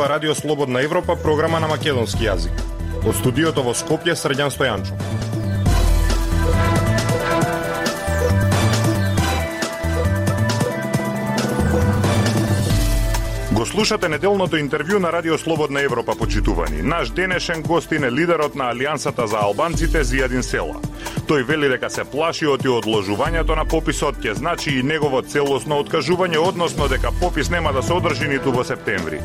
ова Радио Слободна Европа, програма на македонски јазик. Од студиото во Скопје, Срđan Стојанчов. Го слушате неделното интервју на Радио Слободна Европа, почитувани. Наш денешен гостин е лидерот на Алијансата за албанците Зијадин Села. Тој вели дека се плаши од одложувањето на пописот ќе значи и негово целосно откажување, односно дека попис нема да се одржи ниту во септември.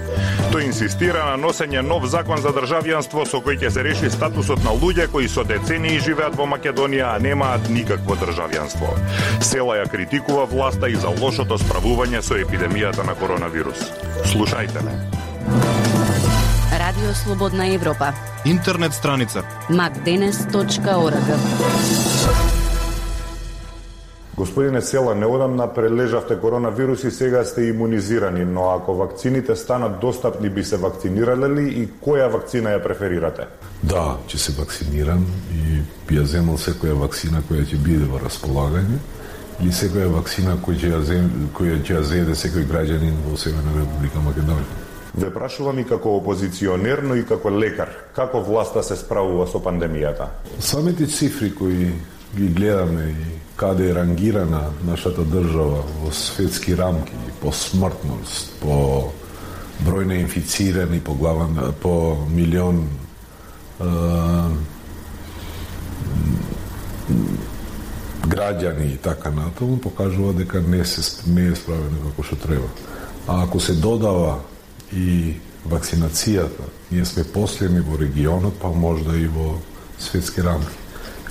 Тој инсистира на носење нов закон за државјанство со кој ќе се реши статусот на луѓе кои со децении живеат во Македонија, а немаат никакво државјанство. Села ја критикува власта и за лошото справување со епидемијата на коронавирус. Слушајте ме. Радио Слободна Европа. Интернет страница macdenes.org. Господине Села, неодамна прележавте коронавирус и сега сте имунизирани, но ако вакцините станат достапни, би се вакцинирале ли и која вакцина ја преферирате? Да, ќе се вакцинирам и би ја земал секоја вакцина која ќе биде во располагање или секоја вакцина која ќе ја зеде секој граѓанин во Северна Република Македонија. Ве прашувам и како опозиционер, но и како лекар. Како власта се справува со пандемијата? Самите цифри кои ги гледаме и каде е рангирана нашата држава во светски рамки, по смртност, по број на инфицирани по глава, по милион граѓани и така натаму, покажува дека не е справено како што треба. А ако се додава и вакцинацијата, ние сме последни во регионот, па можда и во светски рамки.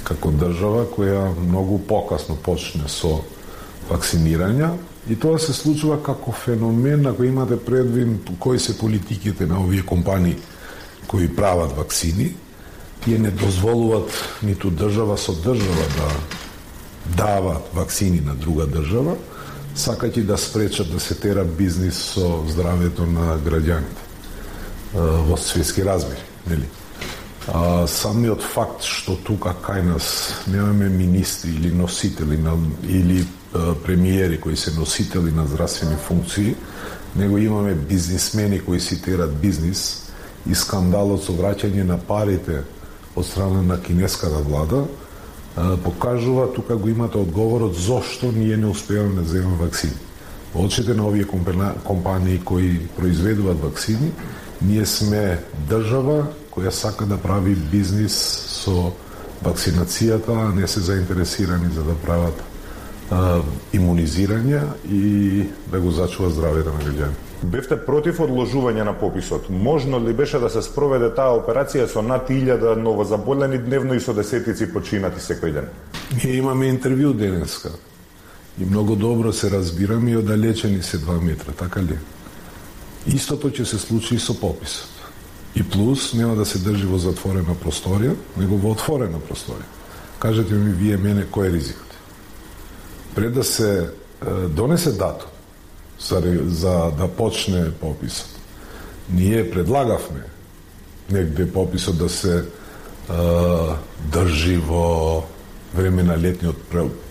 Како држава која многу покасно почне со вакцинирање, и тоа се случува како феномен, ако имате предвид кои се политиките на овие компании кои прават вакцини, тие не дозволуваат ниту држава со држава да дават вакцини на друга држава, сакајќи да спречат да се тера бизнис со здравјето на граѓаните во светски размери, нели? Самиот факт што тука кај нас немаме министри или носители или премиери кои се носители на здравствени функции, него имаме бизнисмени кои си терат бизнис и скандалот со враќање на парите од страна на кинеската влада покажува, тука го имате одговорот зошто ние не успеваме да земеме вакцини. Во очите на овие компании кои произведуваат вакцини, ние сме држава која сака да прави бизнис со вакцинацијата, а не се заинтересирани за да прават имунизирање и да го зачува здравјето на граѓани. Бевте против одложување на пописот. Можно ли беше да се спроведе таа операција со над 1000 новозаболени дневно и со десетици починати секој ден? Ние имаме интервју денеска и многу добро се разбираме и оддалечени се 2 метра, така ли? Истото ќе се случи и со пописот. И плюс нема да се држи во затворена просторија, него во отворена просторија. Кажете ми вие мене кој е ризикот? Пред да се донесе датум за да почне пописот, ние предлагавме негде пописот да се држи во време на летниот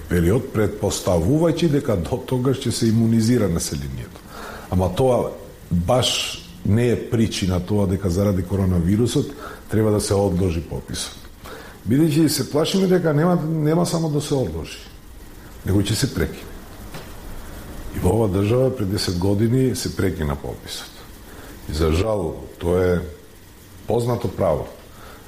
период, предпоставувајќи дека до тогаш ќе се имунизира населението. Ама тоа баш не е причина тоа дека заради коронавирусот треба да се одложи пописот. Бидејќи се плашиме дека нема само да се одложи, него ќе се прекине. И во ова држава пред 10 години се прекина пописот. И за жал, тоа е познато право.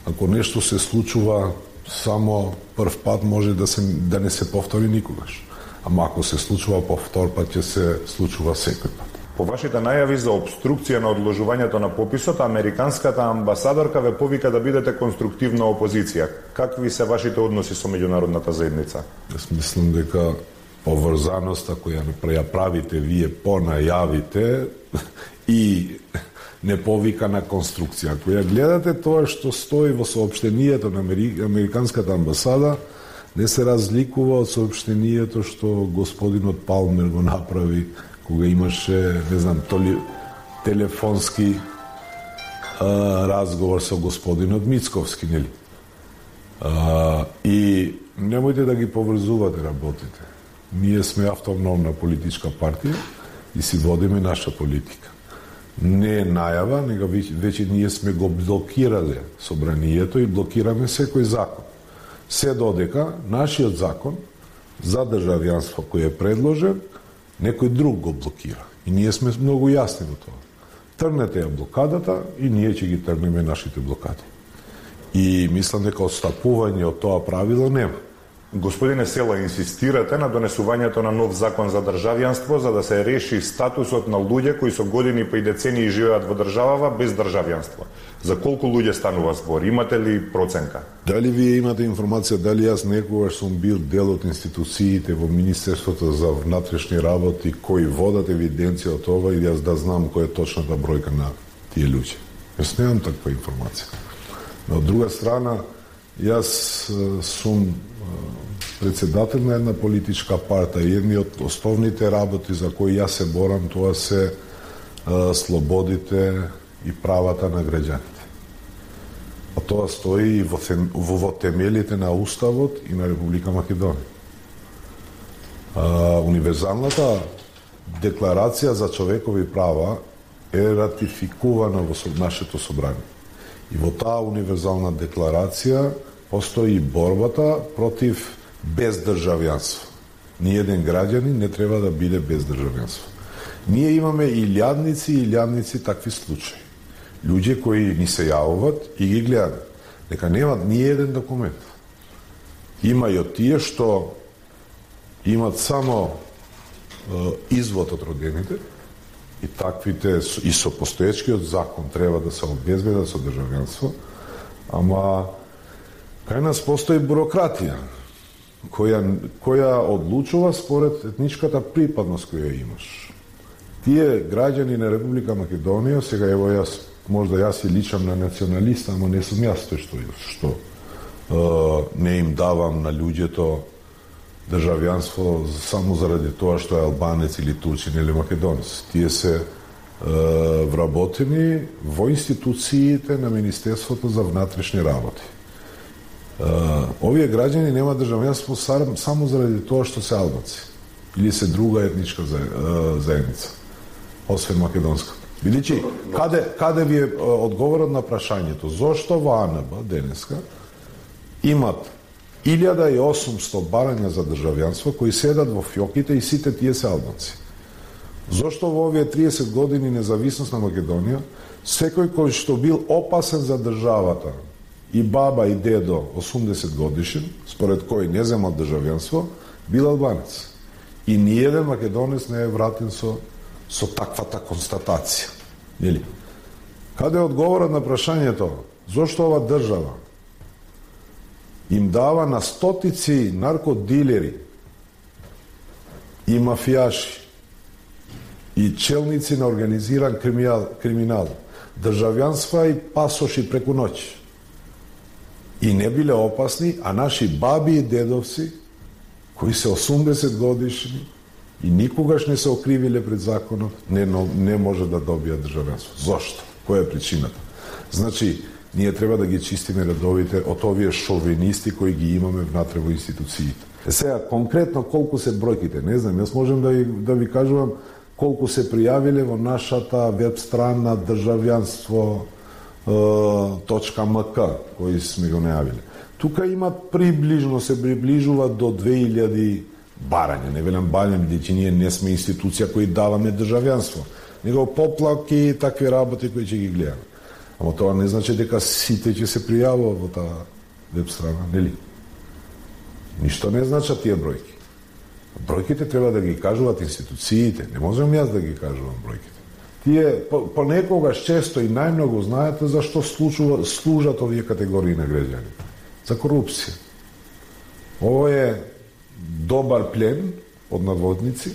Ако нешто се случува само прв пат, може да не се повтори никогаш. Ама ако се случува повтор пат, ќе се случува секој пат. По вашите најави за обструкција на одложувањето на пописот, американската амбасадорка ве повика да бидете конструктивна опозиција. Какви се вашите односи со меѓународната заедница? Јас мислам дека поврзаноста која ја правите вие по најавите и не повика на конструкција. Ако ја гледате тоа што стои во соопштението на американската амбасада, не се разликува од соопштението што господинот Палмер го направи кога имаше, не знам, телефонски разговор со господинот Мицковски, нели? И немојте да ги поврзувате работите. Ние сме автономна политичка партија и си водиме наша политика. не е најава, него веќе ние сме го блокирале собранието и блокираме секој закон. Се додека нашиот закон за државјанство кој е предложен, некој друг го блокира. И ние сме многу јасни во тоа. Трнете ја блокадата и ние ќе ги трнеме нашите блокади. И мислам дека отстапување од тоа правило нема. Господине Села, инсистирате на донесувањето на нов закон за државјанство за да се реши статусот на луѓе кои со години па и децении живеат во државава без државјанство. За колку луѓе станува збор? Имате ли проценка? Дали вие имате информација дали јас некогаш сум бил дел од институциите во Министерството за внатрешни работи кои водат евиденција од ова и јас да знам која е точната бројка на тие луѓе? Јас немам таква информација. Но од друга страна, јас сум председател на една политичка партија и едни од основните работи за кои јас се борам, тоа се слободите и правата на граѓаните. А тоа стои и во темелите на Уставот и на Република Македонија. Универзалната декларација за човекови права е ратификувана во нашето собрание. И во таа универзална декларација постои борбата против бездржавјанство. Ниеден граѓанин не треба да биде без државјанство. Ние имаме илјадници такви случаи. Луѓе кои ни се јавуват и ги гледат, дека немат ни еден документ. Има и од тие што имат само извод од родените, и таквите и со постоечкиот закон треба да се обезбедат со државјанство, ама кај нас постои бюрократија која одлучува според етничката припадност која имаш. Тие граѓани на Република Македонија, сега ево јас, можда јас и личам на националист, ама не сум јас тој што не им давам на луѓето државјанство само заради тоа што е албанец или турчин или македонец. Тие се вработени во институциите на Министерството за внатрешни работи. Овие граѓани нема државјанство само заради тоа што се албанци или се друга етничка заедница, освен македонска. Видичи, каде ви е одговорот на прашањето? Зошто во АНБ денеска имат 1800 барања за државјанство кои седат во фјоките и сите тие се албанци? Зошто во овие 30 години независност на Македонија секој кој што бил опасен за државата, и баба и дедо 80 годишен, според кој не земал државјанство, бил албанец. И ниеден македонец не е вратен со таквата констатација. Нели? Каде е одговорот на прашањето зошто ова држава им дава на стотици наркодилери и мафијаши и челници на организиран криминал државјанства и пасоши преку ноќ и не биле опасни, а наши баби и дедовци кои се 80 годишни и никогаш не се окривиле пред законот, не може да добијат државјанство. Зошто? Која е причината? Значи, ние треба да ги чистиме редовите од овие шовинисти кои ги имаме внатре во институциите. Сега, конкретно колку се бројките, не знам, јас можем да ви кажувам колку се пријавиле во нашата веб страна државјанство.мк, кои сме го најавиле. Тука има се приближува до 2000 барања. Не велам барања, бидејќи ние не сме институција кои даваме државјанство, него поплаки и такви работи кои ќе ги гледаме. Ама тоа не значи дека сите ќе се пријавува во таа веб страна, нели? Ништо не значат тие бројки. Бројките треба да ги кажуваат институциите, не можам јас да ги кажувам бројките. Тие понекогаш често и најмногу знаете зашто служат овие категории на граѓани. За корупција. Ово е добар плен од наводници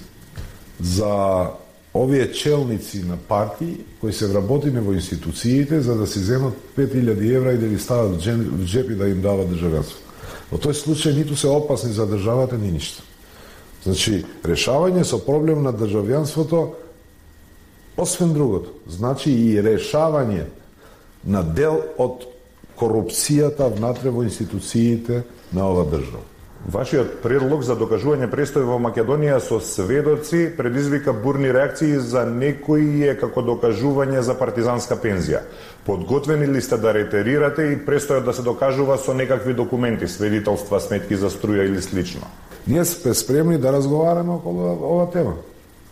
за овие челници на партии кои се вработени во институциите за да се земат 5000 евра и да ги стават в джеп и да им дават државјанство. Во тој случај ниту се опасни за државата, ни ништо. Значи, решавање со проблем на државјанството, освен другото, значи и решавање на дел од корупцијата внатре во институциите на ова држава. Вашиот предлог за докажување престој во Македонија со сведоци предизвика бурни реакции за некои како докажување за партизанска пензија. Подготвени ли сте да ретерирате и престојот да се докажува со некакви документи, свидетелства, сметки за струја или слично? Ние сме спремни да разговараме околу ова тема.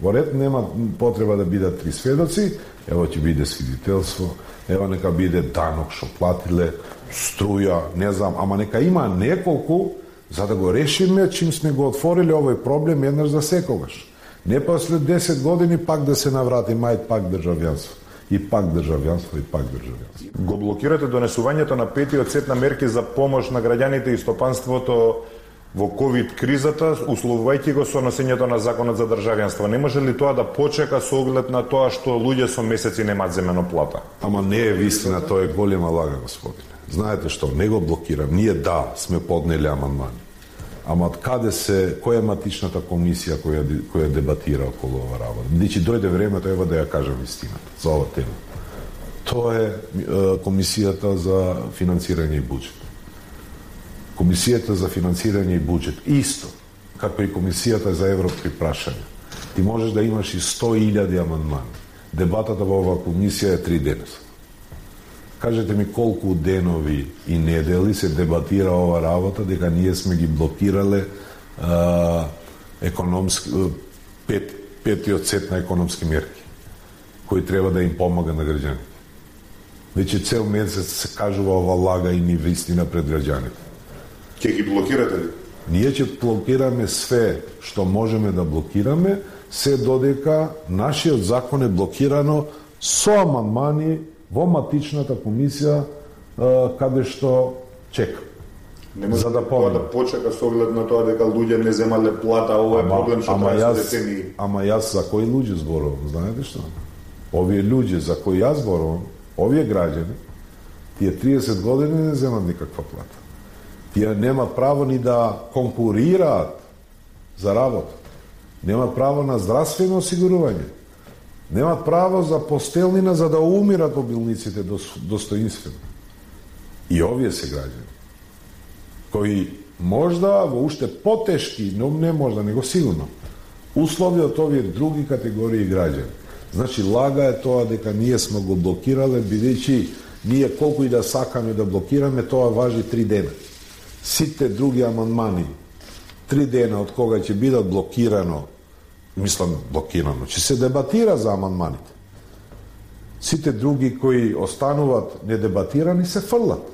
Во ред нема потреба да бидат 3 сведоци, ево ќе биде свидетелство, ево нека биде данок што платиле, струја, не знам, ама нека има неколку за да го решиме чим сме го отворили овој проблем еднаш за секогаш. Не после 10 години пак да се наврати мајт пак државјанство. И пак државјанство, и пак државјанство. Го блокирате донесувањето на 5-тиот сет на мерки за помош на граѓаните и стопанството во ковид кризата, условувајќи го со носењето на законот за државјанство. Не може ли тоа да почека со оглед на тоа што луѓе со месеци немаат земено плата? Ама не е вистина, тоа е голема лага, господине. Знаете што, не го блокирам. Ние сме поднели амандмани. Ама од каде која е матичната комисија која дебатира околу ова работа? Значи дојде времето ева да ја кажам истината за ова тема. Тоа е комисијата за финансирање и буџет. Комисијата за финансирање и буџет исто како и комисијата за европски прашања. Ти можеш да имаш и 100.000 амандмани. Дебатата во оваа комисија е 3 денеса. Кажете ми колку денови и недели се дебатира ова работа дека ние сме ги блокирале петиот сет на економски мерки кои треба да им помага на граѓаните. Веќе цел месец се кажува ова лага и невистина пред граѓаните. Ќе ги блокирате ли? Ние ќе блокираме све што можеме да блокираме, се додека нашиот закон е блокирано со амандмани во матичната комисија каде што чека. Не може да почека со оглед на тоа дека луѓе не земале плата, ова е проблем што трае децении. Ама јас за кои луѓе зборувам, знаете што? Овие луѓе за кои јас зборувам, овие граѓани, тие 30 години не земат никаква плата. Тие немат право ни да конкурираат за работа. Немат право на здравствено осигурување. Немат право за постелнина за да умират во болниците достоинствено. И овие се граѓани кои можда во уште потешки, но не можда, него сигурно, услови од овие други категории граѓани. Значи, лага е тоа дека ние сме го блокирале, бидејќи ние колку и да сакаме да блокираме, тоа важи 3 дена. Сите други амандмани, 3 дена од кога ќе бидат блокирано, ќе се дебатира за амандманите. Сите други кои остануваат недебатирани се фрлат.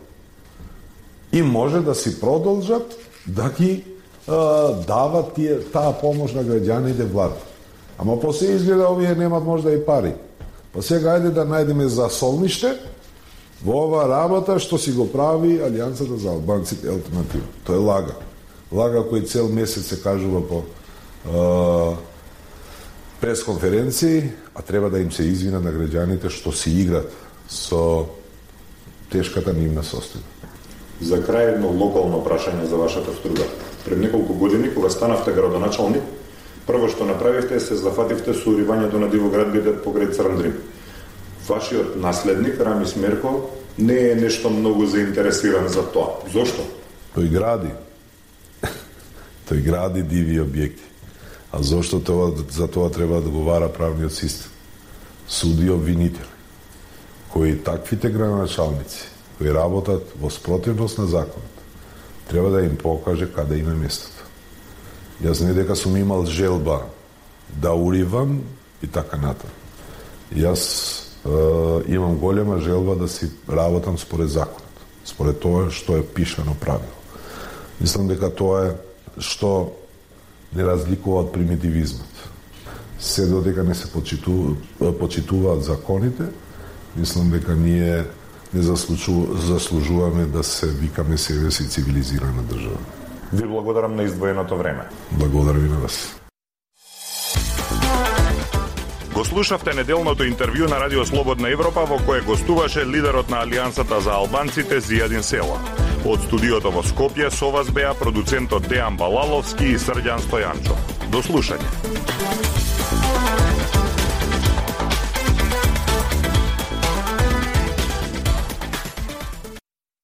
И може да си продолжат да ги дават таа помош на граѓаните влада. Ама после изгледа овие немат можда и пари. Па сега ајде да најдеме засолниште во ова работа што си го прави Алијансата за албанците алтернатива. Тоа е лага. Лага кој цел месец се кажува по пресконференции, а треба да им се извина на граѓаните што си играт со тешката нивна состојба. За крај едно локално прашање за вашата струга. Пред неколку години, кога станавте градоначалник, прво што направивте се зафативте со уривањето на дивоградбите покрај Црн Дрим. Вашиот наследник, Рамис Мерко, не е нешто многу заинтересиран за тоа. Зошто? Тој гради диви објекти. А зошто за тоа треба да одговара правниот систем? Суди обвинители, кои таквите градоначалници, кои работат во спротивност на законот, треба да им покаже каде им е местото. Јас не дека сум имал желба да уривам и така натаму. Јас имам голема желба да си работам според законот, според тоа што е пишано правило. Мислам дека тоа е што не разликува од примитивизмот. Се додека не се почитуваат законите, мислам дека ние не заслужуваме да се викаме себе си цивилизирана држава. Ви благодарам на издвоеното време. Благодарам и на вас. Го слушавте неделното интервју на Радио Слободна Европа во кое гостуваше лидерот на Алијансата за албанците Зијадин Села. Од студиото во Скопје со вас беа продуцентот Дејан Балаловски и Срđan Стојанчов. До слушање.